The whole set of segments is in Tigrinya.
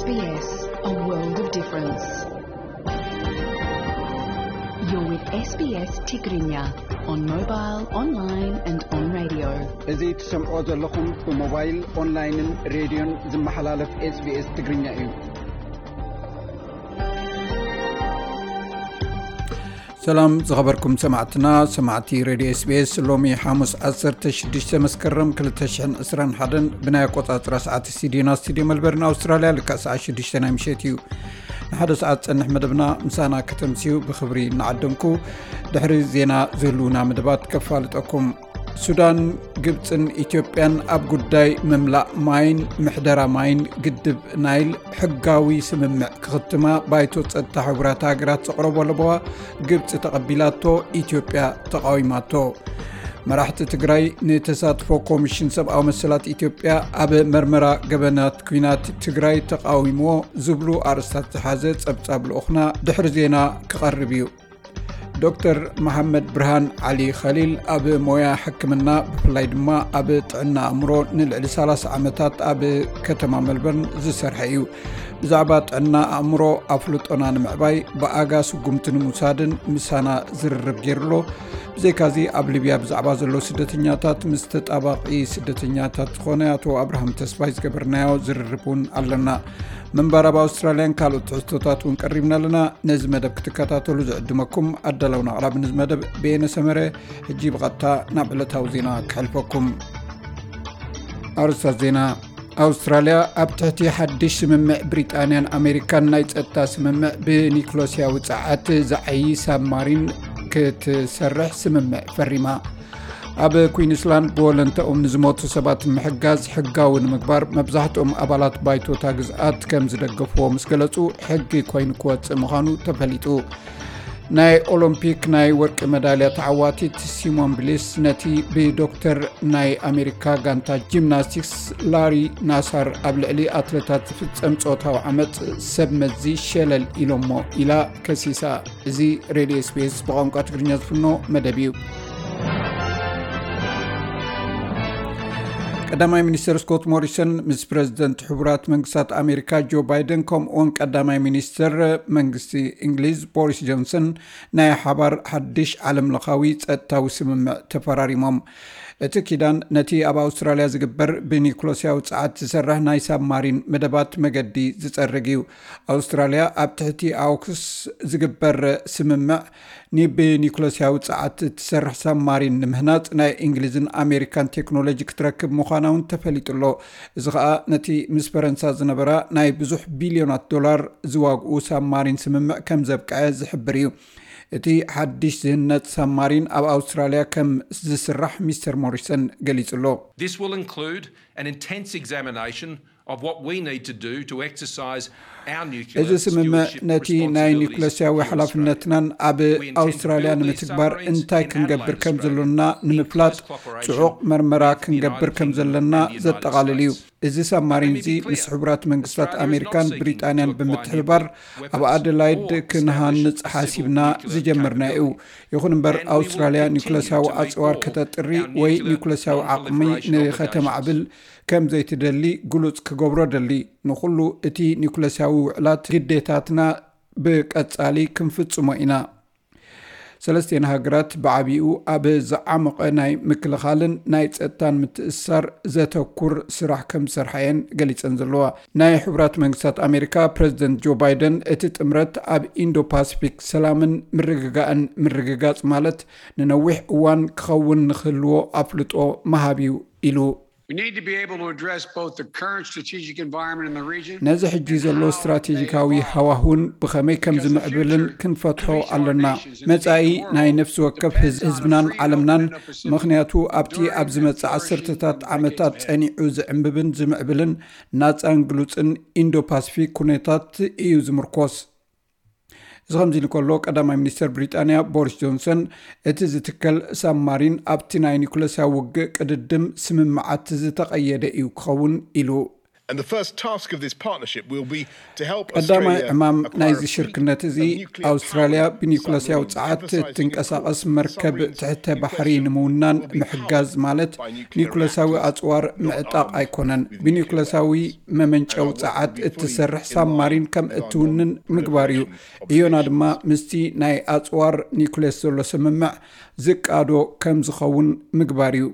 S B S, a world of difference. You're with S B S Tigrinya on mobile, online and on radio. እዚ ትሰምዖ ዘለኹም ብሞባይል፣ ኦንላይንን ሬድዮን ዝመሓላለፍ SBS ትግርኛ እዩ። ሰላም ዝኸበርኩም ሰማዕትና፣ ሰማዕቲ ሬድዮ SBS። ሎሚ ሓሙስ ዓሰርተ ሽዱሽተ መስከረም ክልተ ሽሕን ዕስራን ሓደን ብናይ ኣቆጻጽራ ሰዓት ሲድኒ፣ ስቱድዮ መልበርን ኣውስትራልያ፣ ልክዕ ሰዓት ሽዱሽተ ናይ ምሸት እዩ። ንሓደ ሰዓት ጸንሕ መደብና ምሳና ከተምስዩ ብኽብሪ እናዓደምኩ፣ ድሕሪ ዜና ዝህልውና መደባት ከፋልጠኩም። ሱዳን፣ ግብጽን ኢትዮጵያን ኣብ ጉዳይ ምምላእ ማይን ምሕደራ ማይን ግድብ ናይል ሕጋዊ ስምምዕ ክኽትማ ባይቶ ጸጥታ ሕቡራት ሃገራት ዘቕረቦ ለበዋ ግብጺ ተቐቢላቶ፣ ኢትዮጵያ ተቓዊማቶ። መራሕቲ ትግራይ ንተሳትፎ ኮሚሽን ሰብኣዊ መሰላት ኢትዮጵያ ኣብ መርመራ ገበናት ኲናት ትግራይ ተቓዊምዎ ዝብሉ ኣርእስታት ዝሓዘ ጸብጻብ ልኡኽና ድሕሪ ዜና ክቐርብ እዩ። ዶክተር መሓመድ ብርሃን ዓሊ ኸሊል ኣብ ሞያ ሕክምና፣ ብፍላይ ድማ ኣብ ጥዕና ኣእምሮ ንልዕሊ ሰላሳ ዓመታት ኣብ ከተማ መልበርን ዝሰርሐ እዩ። ብዛዕባ ጥዕና ኣእምሮ ኣፍልጦና ንምዕባይ ብኣጋ ስጉምቲ ንምውሳድን ምሳና ዝርርብ ገይሩ ኣሎ። ብዘይካዚ ኣብ ሊብያ ብዛዕባ ዘሎ ስደተኛታት ምስ ተጣባቒ ስደተኛታት ዝኾነ ኣቶ ኣብርሃም ተስፋይ ዝገበርናዮ ዝርርብ እውን ኣለና። ምንባር ኣብ ኣውስትራልያን ካልኦት ትሕዝቶታት እውን ቀሪብና ኣለና። ነዚ መደብ ክትከታተሉ ዝዕድመኩም ኣዳላውን ኣቕራብን እዚ መደብ በየነ ሰመረ። ሕጂ ብቐጥታ ናብ ዕለታዊ ዜና ክሕልፈኩም። ኣርእስታት ዜና። ኣውስትራልያ ኣብ ትሕቲ ሓድሽ ስምምዕ ብሪጣንያን ኣሜሪካን ናይ ጸጥታ ስምምዕ ብኒክሎስያዊ ጸዓት ዝዓዪ ሳብማሪን ክትሰርሕ ስምምዕ ፈሪማ። ኣብ ኩዊንስላንድ ብወለንታኦም ንዝሞቱ ሰባት ንምሕጋዝ ሕጋዊ ንምግባር መብዛሕትኦም ኣባላት ባይቶታ ግዝኣት ከም ዝደገፍዎ ምስ ገለጹ፣ ሕጊ ኮይኑ ክወጽእ ምዃኑ ተፈሊጡ። ናይ ኦሎምፒክ ናይ ወርቂ መዳልያ ተዓዋቲት ሲሞን ቢሊስ ነቲ ብዶክተር ናይ ኣሜሪካ ጋንታ ጂምናስቲክስ ላሪ ናሳር ኣብ ልዕሊ ኣትለታት ዝፍጸም ጾታዊ ዓመጽ ሰብ መዚ ሸለል ኢሎሞ ኢላ ከሲሳ። እዚ ሬድዮ SBS ብቋንቋ ትግርኛ ዝፍኖ መደብ እዩ። ቀዳማይ ሚኒስተር ስኮት ሞሪሰን ምስ ፕረዚደንት ሕቡራት መንግስታት ኣሜሪካ ጆ ባይደን፣ ከምኡውን ቀዳማይ ሚኒስተር መንግስቲ እንግሊዝ ቦሪስ ጆንሰን ናይ ሓባር ሓድሽ ዓለምለኻዊ ጸጥታዊ ስምምዕ ተፈራሪሞም። እቲ ኪዳን ነቲ ኣብ ኣውስትራልያ ዝግበር ብኒኩለስያዊ ጸዓት ዝሰርሕ ናይ ሳብማሪን መደባት መገዲ ዝጸርግ እዩ። ኣውስትራልያ ኣብ ትሕቲ ኣውክስ ዝግበር ስምምዕ ንብኒኩለስያዊ ጸዓት እትሰርሕ ሳብማሪን ንምህናጽ ናይ እንግሊዝን ኣሜሪካን ቴክኖሎጂ ክትረክብ ምዃና እውን ተፈሊጡ ኣሎ። እዚ ኸኣ ነቲ ምስ ፈረንሳ ዝነበራ ናይ ብዙሕ ቢልዮናት ዶላር ዝዋግኡ ሳብማሪን ስምምዕ ከም ዘብቅዐ ዝሕብር እዩ። እቲ ሓድሽ ዝህነጽ ሳብማሪን ኣብ ኣውስትራልያ ከም ዝስራሕ ሚስተር ሞሪሰን ገሊጹ ኣሎ። This will include an intense examination of what we need to do to exercise our nuclear stewardship responsibilities. እዚ ስምምዕ ነቲ ናይ ኒኩለስያዊ ሓላፍነትናን ኣብ ኣውስትራልያ ንምትግባር እንታይ ክንገብር ከም ዘሎና ንምፍላጥ ጽዑቕ መርመራ ክንገብር ከም ዘለና ዘጠቓልል እዩ። እዚ ሳብማሪን እዚ ምስ ሕቡራት መንግስታት ኣሜሪካን ብሪጣንያን ብምትሕብባር ኣብ ኣደላይድ ክንሃንጽ ሓሲብና ዝጀመርና እዩ። ይኹን እምበር፣ ኣውስትራልያ ኒኩለስያዊ ኣጽዋር ከተጥሪ ወይ ኒኩለስያዊ ዓቕሚ ንኸተማዕብል ከም ዘይትደሊ ግሉጽ ክገብሮ ደሊ። ንኹሉ እቲ ኒኩለስያዊ ውዕላት ግዴታትና ብቀጻሊ ክንፍጽሞ ኢና። ሰለስቲኤን ሃገራት ብዓቢኡ ኣብ ዝዓመቐ ናይ ምክልኻልን ናይ ጸጥታን ምትእስሳር ዘተኩር ስራሕ ከም ዝሰርሓ እየን ገሊጸን ዘለዋ። ናይ ሕቡራት መንግስታት ኣሜሪካ ፕረዚደንት ጆ ባይደን፣ እቲ ጥምረት ኣብ ኢንዶ ፓሲፊክ ሰላምን ምርግጋእን ምርግጋጽ ማለት ንነዊሕ እዋን ክኸውን ንክህልዎ ኣፍልጦ ምሃብ እዩ ኢሉ። We need to be able to address both the current strategic environment in the region ነዚ ሕጂ ዘሎ ስትራቴጂካዊ ሃዋሁን ብኸመይ ከም ዝምዕብልን ክንፈትሖ ኣሎና። መጻኢ ናይ ነፍሲ ወከፍ ህዝ-፣ ህዝብናን ዓለምናን፣ ምኽንያቱ ኣብቲ ኣብ ዝመጽእ ዓሰርተታት ዓመታት ጸኒዑ ዝዕምብብን ዝምዕብልን ናጻን ግሉጽን ኢንዶ ፓሲፊክ ኩነታት እዩ ዝምርኮስ። እዚ ከምዚ ኢሉ ከሎ፣ ቀዳማይ ሚኒስተር ብሪጣንያ ቦሪስ ጆንሰን፣ እቲ ዝትከል ሳብማሪን ኣብቲ ናይ ኒኩለስያዊ ውግእ ቅድድም ስምምዓት ዝተቐየደ እዩ ክኸውን ኢሉ። And the first task of this partnership will be to help ቀዳማይ Australia ዕማም acquire ናይዚ a fleet ሽርክነት እዚ of nuclear ኣውስትራልያ powered ብኒኩለስያዊ submarines, ጸዓት emphasizing ትንቀሳቐስ improved መርከብ submarines ትሕተ can ባሕሪ question ንምውናን will be ምሕጋዝ powered ማለት by nuclear ኒኩለሳዊ reactors, ኣጽዋር not ምዕጣቕ armed ኣይኮነን። with nuclear ብኒኩለሳዊ weapons, መመንጨዊ and will ጸዓት be fully እትሰርሕ in ሳብማሪን line ከም with our እትውንን ምግባር እዩ። obligation እዮና ድማ ምስቲ ናይ ኣጽዋር ኒኩሌስ ዘሎ ስምምዕ ዝቃዶ ከም ዝኸውን ምግባር እዩ።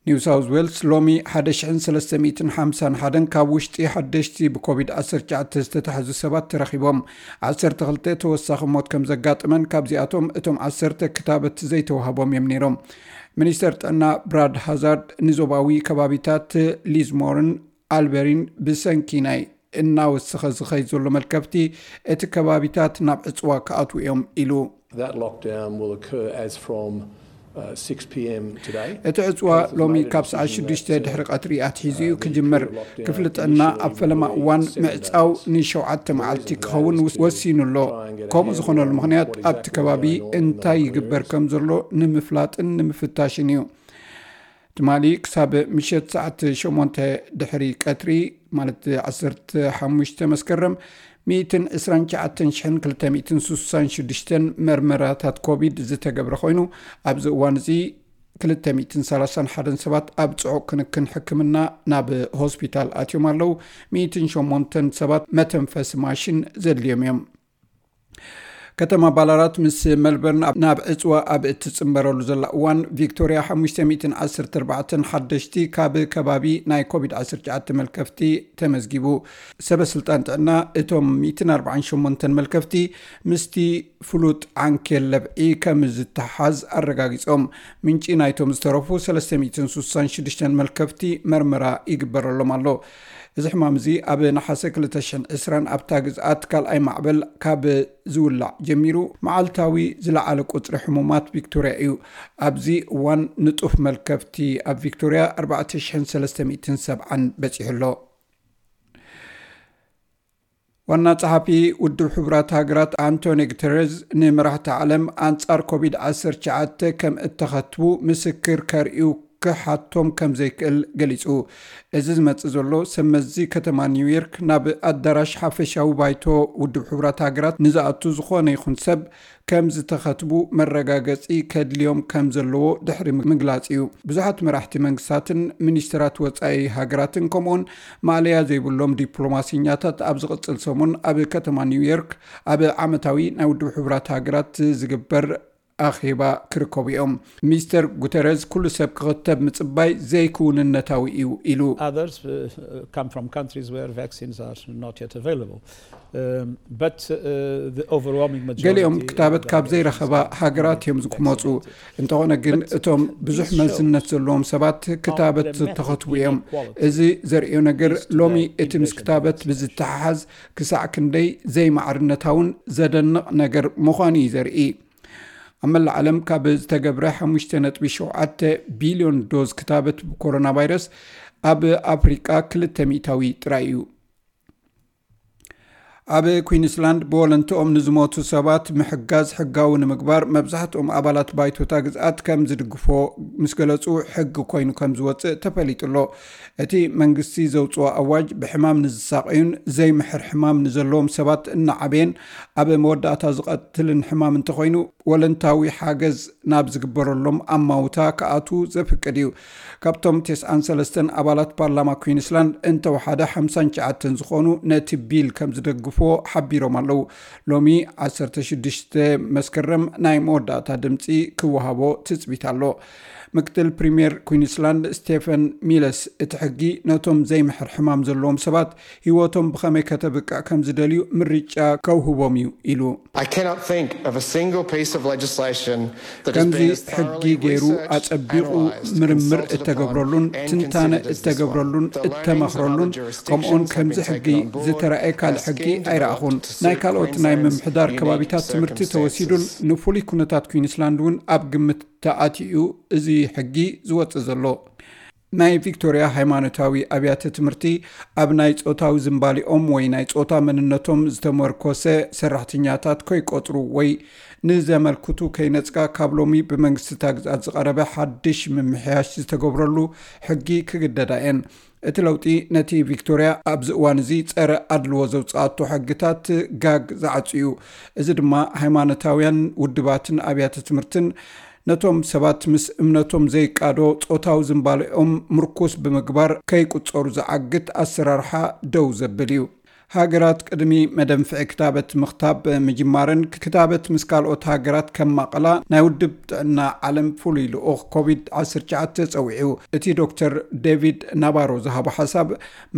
ኒው ሳውዝ ዌልስ ሎሚ ሓደ ሽሕን ሰለስተ ሚእትን ሓምሳን ሓደን ካብ ውሽጢ ሓደሽቲ ብኮቪድ ዓሰርተ ትሽዓተ ዝተታሕዙ ሰባት ተረኺቦም። ዓሰርተ ክልተ ተወሳኺ ሞት ከም ዘጋጥመን ካብዚኣቶም እቶም ዓሰርተ ክታበት ዘይተዋህቦም እዮም ነይሮም። ሚኒስተር ጥዕና ብራድ ሃዛርድ ንዞባዊ ከባቢታት ሊዝሞርን ኣልበሪን ብሰንኪ ናይ እናወሰኸ ዝኸይ ዘሎ መልከፍቲ እቲ ከባቢታት ናብ ዕፅዋ ክኣትዉ እዮም ኢሉ። That lockdown will occur as from uh, six p.m. today. እቲ ዕፅዋ ሎሚ ካብ ሰዓት ሽዱሽተ ድሕሪ ቀትሪ ኣትሒዙ እዩ ክጅምር። ክፍሊ ጥዕና ኣብ ፈለማ እዋን ምዕፃው ንሸውዓተ መዓልቲ ክኸውን ወሲኑ ኣሎ። ከምኡ ዝኾነሉ ምኽንያት ኣብቲ ከባቢ እንታይ ይግበር ከም ዘሎ ንምፍላጥን ንምፍታሽን እዩ። ትማሊ ክሳብ ምሸት ሰዓት ሸሞንተ ድሕሪ ቀትሪ ማለት ዓሰርተ ሓሙሽተ መስከረም ሚእትን ዕስራን ትሽዓተን ሽሕን ክልተ ሚእትን ስሳን ሽዱሽተን መርመራታት ኮቪድ ዝተገብረ ኮይኑ ኣብዚ እዋን እዚ ክልተ ሚእትን ሰላሳን ሓደን ሰባት ኣብ ጽዑቕ ክንክን ሕክምና ናብ ሆስፒታል ኣትዮም ኣለዉ። ሚእትን ሸሞንተን ሰባት መተንፈሲ ማሽን ዘድልዮም እዮም። ከተማ ባላራት ምስ መልበርን ናብ ዕፅዋ ኣብ እትፅምበረሉ ዘላ እዋን ቪክቶርያ ሓሙሽተ ሚእትን ዓሰርተ ኣርባዕተን ሓደሽቲ ካብ ከባቢ ናይ ኮቪድ ዓሰርተ ትሽዓተ መልከፍቲ ተመዝጊቡ። ሰበ ስልጣን ጥዕና እቶም ሚእትን ኣርባዓን ሸሞንተን መልከፍቲ ምስቲ ፍሉጥ ዓንኬል ለብዒ ከም ዝተሓዝ ኣረጋጊጾም። ምንጪ ናይቶም ዝተረፉ ሰለስተ ሚእትን ስሳን ሽዱሽተን መልከፍቲ መርመራ ይግበረሎም ኣሎ። እዚ ሕማም እዚ ኣብ ነሓሰ ክልተ ሽሕን ዕስራን ኣብታ ግዝኣት ካልኣይ ማዕበል ካብ ዝውላዕ ጀሚሩ መዓልታዊ ዝለዓለ ቁፅሪ ሕሙማት ቪክቶርያ እዩ። ኣብዚ እዋን ንጡፍ መልከፍቲ ኣብ ቪክቶርያ ኣርባዕተ ሽሕን ሰለስተ ሚእትን ሰብዓን በፂሑ ኣሎ። ዋና ጸሓፊ ውድብ ሕቡራት ሃገራት ኣንቶኒ ጉተረዝ ንመራሕቲ ዓለም ኣንጻር ኮቪድ ዓሰርተ ትሽዓተ ከም እተኸትቡ ምስክር ከርእዩ ክሓቶም ከም ዘይክእል ገሊጹ። እዚ ዝመጽእ ዘሎ ሰብ መዚ ከተማ ኒውዮርክ ናብ ኣዳራሽ ሓፈሻዊ ባይቶ ውድብ ሕቡራት ሃገራት ንዝኣቱ ዝኾነ ይኹን ሰብ ከም ዝተኸትቡ መረጋገጺ ከድልዮም ከም ዘለዎ ድሕሪ ምግላጽ እዩ። ብዙሓት መራሕቲ መንግስታትን ሚኒስትራት ወጻኢ ሃገራትን ከምኡውን ማእለያ ዘይብሎም ዲፕሎማሲኛታት ኣብ ዝቕጽል ሰሙን ኣብ ከተማ ኒውዮርክ ኣብ ዓመታዊ ናይ ውድብ ሕቡራት ሃገራት ዝግበር ኣኼባ ክርከቡ እዮም። ሚስተር ጉተረዝ ኩሉ ሰብ ክኽተብ ምጽባይ ዘይክውንነታዊ እዩ ኢሉ። Others uh, come from countries where vaccines are not yet available. Um, but uh, the overwhelming majority ገሊኦም of ክታበት the ካብ population ዘይረኸባ is ሃገራት እዮም ዝክመፁ። vaccinated. እንተኾነ ግን እቶም ብዙሕ መዝነት ዘለዎም ሰባት ክታበት ዝተኸትቡ እዮም። እዚ ዘርእዮ ነገር ሎሚ እቲ ምስ ክታበት ብዝተሓሓዝ ክሳዕ ክንደይ ዘይማዕርነታውን ዘደንቕ ነገር ምዃኑ እዩ ዘርኢ። ኣብ መላእ ዓለም ካብ ዝተገብረ ሓሙሽተ ነጥቢ ሸውዓተ ቢልዮን ዶዝ ክታበት ብኮሮና ቫይረስ ኣብ ኣፍሪቃ ክልተ ሚእታዊ ጥራይ እዩ። ኣብ ኩዊንስላንድ ብወለንትኦም ንዝሞቱ ሰባት ምሕጋዝ ሕጋዊ ንምግባር መብዛሕትኦም ኣባላት ባይቶታ ግዝኣት ከም ዝድግፎ ምስ ገለጹ ሕጊ ኮይኑ ከም ዝወጽእ ተፈሊጡ ኣሎ። እቲ መንግስቲ ዘውጽኦ ኣዋጅ ብሕማም ንዝሳቐዩን ዘይምሕር ሕማም ንዘለዎም ሰባት እናዓበየን ኣብ መወዳእታ ዝቐትልን ሕማም እንተኾይኑ ወለንታዊ ሓገዝ ናብ ዝግበረሎም ኣማውታ ክኣትዉ ዘፍቅድ እዩ። ካብቶም ተስዓን ሰለስተን ኣባላት ፓርላማ ኩዊንስላንድ እንተወሓደ ሓምሳን ትሽዓተን ዝኾኑ ነቲ ቢል ከም ዝደግፍዎ ሓቢሮም ኣለዉ። ሎሚ ዓሰርተ ሽዱሽተ መስከረም ናይ መወዳእታ ድምፂ ክወሃቦ ትፅቢት ኣሎ። ምክትል ፕሪምየር ኩዊንስላንድ ስቴፈን ሚለስ እቲ ሕጊ ነቶም ዘይምሕር ሕማም ዘለዎም ሰባት ህይወቶም ብኸመይ ከተብቅዕ ከም ዝደልዩ ምርጫ ከውህቦም እዩ ኢሉ። I cannot think of a single piece of legislation that has ከምዚ been as ሕጊ thoroughly ገይሩ researched, ኣጸቢቑ analyzed, ምርምር consulted upon, እተገብረሉን and ትንታነ considered as this one. እተገብረሉን The lanes of እተመኽረሉን other jurisdictions ከምኡውን have ከምዚ been ሕጊ taken on board ዝተረኣየ ካልእ as ሕጊ scheme ኣይረኣኹን። developed to ናይ suit ካልኦት ናይ Queensland's ምምሕዳር unique ከባቢታት ትምህርቲ ተወሲዱን circumstances. ንፍሉይ ኩነታት ኩዊንስላንድ እውን ኣብ ግምት ተኣትዩ እዩ እዚ ሕጊ ዝወጽእ ዘሎ። ናይ ቪክቶርያ ሃይማኖታዊ ኣብያተ ትምህርቲ ኣብ ናይ ጾታዊ ዝንባሊኦም ወይ ናይ ጾታ መንነቶም ዝተመርኮሰ ሰራሕተኛታት ከይቆጽሩ ወይ ንዘመልክቱ ከይነጽጋ ካብ ሎሚ ብመንግስቲ እታ ግዝኣት ዝቐረበ ሓድሽ ምምሕያሽ ዝተገብረሉ ሕጊ ክግደዳ እየን። እቲ ለውጢ ነቲ ቪክቶርያ ኣብዚ እዋን እዚ ጸረ ኣድልዎ ዘውጽኣቶ ሕግታት ጋግ ዝዓጹ እዩ። እዚ ድማ ሃይማኖታውያን ውድባትን ኣብያተ ትምህርትን ነቶም ሰባት ምስ እምነቶም ዘይቃዶ ጾታዊ ዝንባሌኦም ምርኩስ ብምግባር ከይቁጸሩ ዝዓግት ኣሰራርሓ ደው ዘብል እዩ። ሃገራት ቅድሚ መደንፍዒ ክታበት ምኽታብ ምጅማረን ክታበት ምስ ካልኦት ሃገራት ከማቐላ ናይ ውድብ ጥዕና ዓለም ፍሉይ ልኡኽ ኮቪድ ዓሰርተ ትሽዓተ ጸዊዑ። እቲ ዶክተር ዴቪድ ናባሮ ዝሃቦ ሓሳብ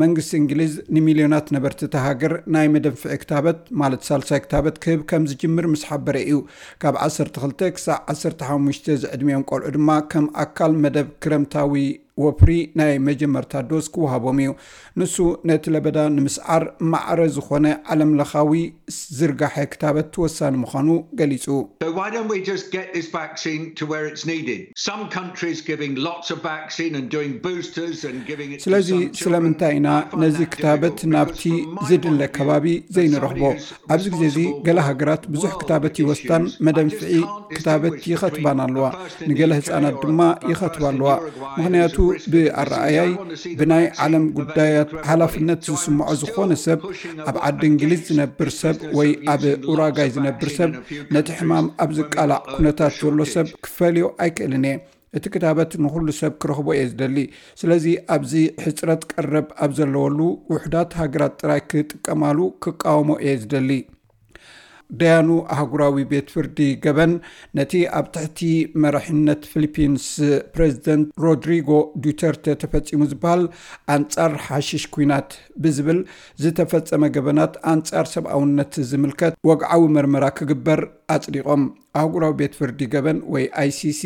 መንግስቲ እንግሊዝ ንሚልዮናት ነበርቲ እታ ሃገር ናይ መደንፍዒ ክታበት ማለት ሳልሳይ ክታበት ክህብ ከም ዝጅምር ምስ ሓበረ እዩ ካብ ዓሰርተ ክልተ ክሳዕ ዓሰርተ ሓሙሽተ ዝዕድሚኦም ቆልዑ ድማ ከም ኣካል መደብ ክረምታዊ ወፍሪ ናይ መጀመርታ ዶዝ ክወሃቦም እዩ። ንሱ ነቲ ለበዳ ንምስዓር ማዕረ ዝኾነ ዓለም ለኻዊ ዝርጋሐ ክታበት ወሳኒ ምዃኑ ገሊጹ። So why don't we just get this vaccine to where it's needed? Some countries giving lots of vaccine and doing boosters and giving it to ስለዚ some children. ስለምንታይ ኢና I find ነዚ that ክታበት difficult ናብቲ because from my ዝድለ point of view, ከባቢ the ዘይንረኽቦ? Saudi is ኣብዚ ግዜ እዚ responsible ገለ world ሃገራት ብዙሕ ክታበት issues. ይወስዳን I መደንፍዒ just can't ክታበት distinguish ይኸትባን between a ኣለዋ። person in the ንገለ U K ህጻናት or ድማ a, a ይኸትባ person in ኣለዋ። Uruguay who's ምኽንያቱ at risk of this disease. ብኣረኣያይ I want to see the ብናይ vaccine ዓለም available ጉዳያት to everybody. ሓላፍነት Still ዝስምዖ ዝኾነ pushing ሰብ the ኣብ vaccine. ዓዲ እንግሊዝ ዝነብር ሰብ ወይ ኣብ ኡራጋይ ዝነብር ሰብ ነቲ ሕማም ኣብ ዝቃላዕ ኩነታት ዘሎ ሰብ ክፈልዮ ኣይክእልን እየ። እቲ ክታበት ንኹሉ ሰብ ክረኽቦ እየ ዝደሊ። ስለዚ ኣብዚ ሕፅረት ቀረብ ኣብ ዘለወሉ ውሕዳት ሃገራት ጥራይ ክጥቀማሉ ክቃወሞ እየ ዝደሊ። ደያኑ ኣህጉራዊ ቤት ፍርዲ ገበን ነቲ ኣብ ትሕቲ መራሒነት ፊሊፒንስ ፕሬዚደንት ሮድሪጎ ዱተርተ ተፈጺሙ ዝበሃል ኣንጻር ሓሽሽ ኲናት ብዝብል ዝተፈጸመ ገበናት ኣንጻር ሰብኣውነት ዝምልከት ወግዓዊ መርመራ ክግበር ኣጽዲቖም። ኣህጉራዊ ቤት ፍርዲ ገበን ወይ ኣይሲሲ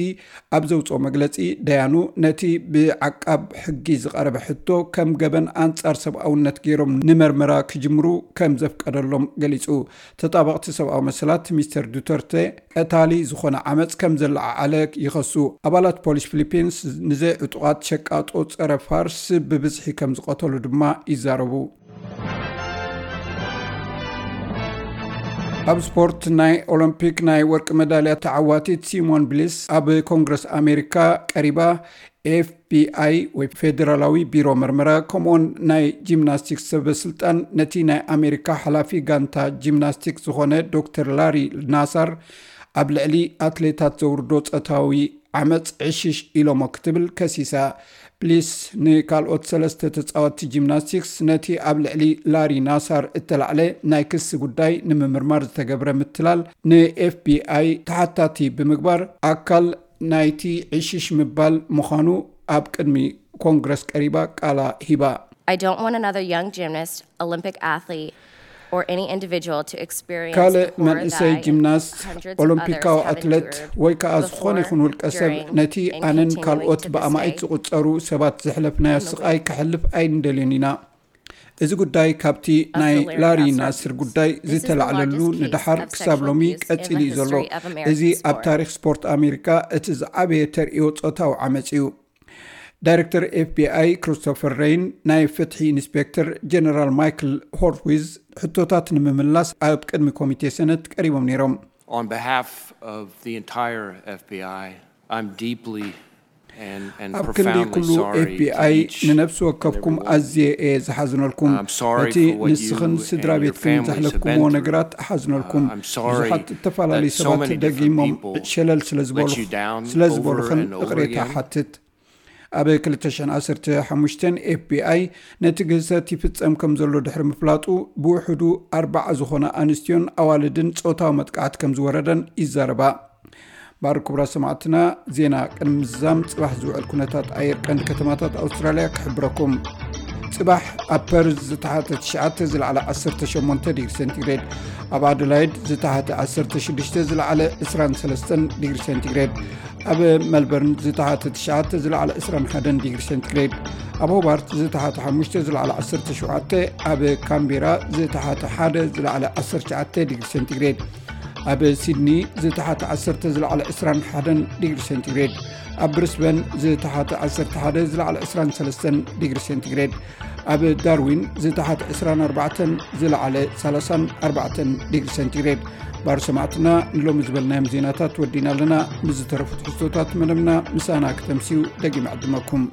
ኣብ ዘውፅኦ መግለፂ ደያኑ ነቲ ብዓቃብ ሕጊ ዝቐረበ ሕቶ ከም ገበን ኣንጻር ሰብኣውነት ገይሮም ንመርመራ ክጅምሩ ከም ዘፍቀደሎም ገሊፁ። ተጣበቕቲ ሰብኣዊ መሰላት ሚስተር ዱተርተ ቀታሊ ዝኾነ ዓመፅ ከም ዘለዓዓለ ይኸሱ። ኣባላት ፖሊስ ፊሊፒንስ ንዘይዕጡቓት ሸቃጦ ፀረ ፋርስ ብብዝሒ ከም ዝቐተሉ ድማ ይዛረቡ። ኣብ ስፖርት ናይ ኦሎምፒክ ናይ ወርቂ መዳልያ ተዓዋቲት ሲሞን ብሊስ ኣብ ኮንግረስ ኣሜሪካ ቀሪባ ኤፍቢኣይ ወይ ፌደራላዊ ቢሮ መርመራ ከምኡውን ናይ ጂምናስቲክስ ሰበስልጣን ነቲ ናይ ኣሜሪካ ሓላፊ ጋንታ ጂምናስቲክስ ዝኾነ ዶክተር ላሪ ናሳር ኣብ ልዕሊ ኣትሌታት ዘውርዶ ጸታዊ ዓመጽ ዕሽሽ ኢሎሞ ክትብል ከሲሳ። ፕሊስ ንካልኦት ሰለስተ ተጻወትቲ ጂምናስቲክስ ነቲ ኣብ ልዕሊ ላሪ ናሳር እተላዕለ ናይ ክሲ ጉዳይ ንምምርማር ዝተገብረ ምትላል ንኤፍቢኣይ ተሓታቲ ብምግባር ኣካል ናይቲ ዕሽሽ ምባል ምዃኑ ኣብ ቅድሚ ኮንግረስ ቀሪባ ቃላ ሂባ። I don't want another young gymnast, Olympic athlete, or any individual to experience ካልእ the horror መንእሰይ that ጂምናስት hundreds of ኦሎምፒካዊ others have ኣትለት endured ወይ ከዓ ዝኾነ ይኹን ውልቀ ሰብ ነቲ ኣነን ካልኦት ብኣማኢት ዝቁጸሩ ሰባት ዘሕለፍናዮ ስቃይ ከሕልፍ ኣይንደልዮን ኢና። እዚ ጉዳይ ካብቲ ናይ ላሪ ናስር ጉዳይ ዝተላዕለሉ ንደሓር ክሳብ ሎሚ ቀጺሉ እዩ ዘሎ። እዚ ኣብ ታሪክ ስፖርት ኣሜሪካ እቲ ዝዓበየ ተርእዮ ጾታዊ ዓመጽ እዩ። ዳይረክተር ኤፍቢኣይ ክሪስቶፈር ሬይን ናይ ፍትሒ ኢንስፔክተር ጀነራል ማይክል ሆርትዊዝ ሕቶታት ንምምላስ ኣብ ቅድሚ ኮሚቴ ሰነት ቀሪቦም ነይሮም። On behalf of the entire F B I, I'm deeply and, and ኣብ ክንዲ profoundly ኩሉ sorry to ኤፍቢኣይ each ንነፍሲ and ወከፍኩም every one. ኣዝየ እየ ዝሓዝነልኩም። I'm sorry ነቲ for what you ንስኽን ስድራ and your ቤትክን families have ዘሕለፍኩምዎ been through. ነገራት እሓዝነልኩም። Uh, I'm sorry ብዙሓት ዝተፈላለዩ that so ሰባት many different ደጊሞም people ሸለል ስለ ዝበሉ let you down ስለ ዝበሉኽን over and over ይቕሬታ again. ሓትት። ኣብ ክልተ ሽሕን ዓሰርተ ሓሙሽተን ኤፍቢኣይ ነቲ ግህሰት ይፍጸም ከም ዘሎ ድሕሪ ምፍላጡ ብውሕዱ ኣርባዓ ዝኾና ኣንስትዮን ኣዋልድን ጾታዊ መጥቃዕቲ ከም ዝወረደን ይዛረባ። ባር ክቡራት ሰማዕትና፣ ዜና ቅድሚ ምዝዛም ጽባሕ ዝውዕል ኩነታት ኣየር ቀንዲ ከተማታት ኣውስትራልያ ክሕብረኩም። ጽባሕ ኣብ ፐርዝ ዝተሓተ ትሽዓተ ዝለዓለ ዓሰርተ ሸሞንተ ዲግሪ ሴንቲግሬድ፣ ኣብ ኣደላይድ ዝተሓተ ዓሰርተ ሽዱሽተ ዝለዓለ ዕስራን ሰለስተን ዲግሪ ሴንቲግሬድ፣ ኣብ መልበርን ዝተሓተ ትሽዓተ ዝለዓለ ዕስራን ሓደን ዲግሪ ሴንቲግሬድ፣ ኣብ ሆባርት ዝተሓተ ሓሙሽተ ዝለዓለ ዓሰርተ ሸውዓተ፣ ኣብ ካምቤራ ዝተሓተ ሓደ ዝለዓለ ዓሰርተ ትሽዓተ ዲግሪ ሴንቲግሬድ፣ ኣብ ሲድኒ ዝተሓተ ዓሰርተ ዝለዓለ ዕስራን ሓደን ዲግሪ ሴንቲግሬድ፣ ኣብ ብሪስበን ዝተሓተ ዓሰርተ ሓደ ዝለዓለ ዕስራን ሰለስተን ዲግሪ ሴንቲግሬድ፣ ኣብ ዳርዊን ዝተሓተ ዕስራን ኣርባዕተን ዝለዓለ ሰላሳን ኣርባዕተን ዲግሪ ሴንቲግሬድ። ባር ሰማዕትና ንሎሚ ዝበልናዮም ዜናታት ወዲና ኣለና። ምስ ዝተረፉ ትሕዝቶታት መደብና ምሳና ክተምስዩ ደጊም ዕድመኩም።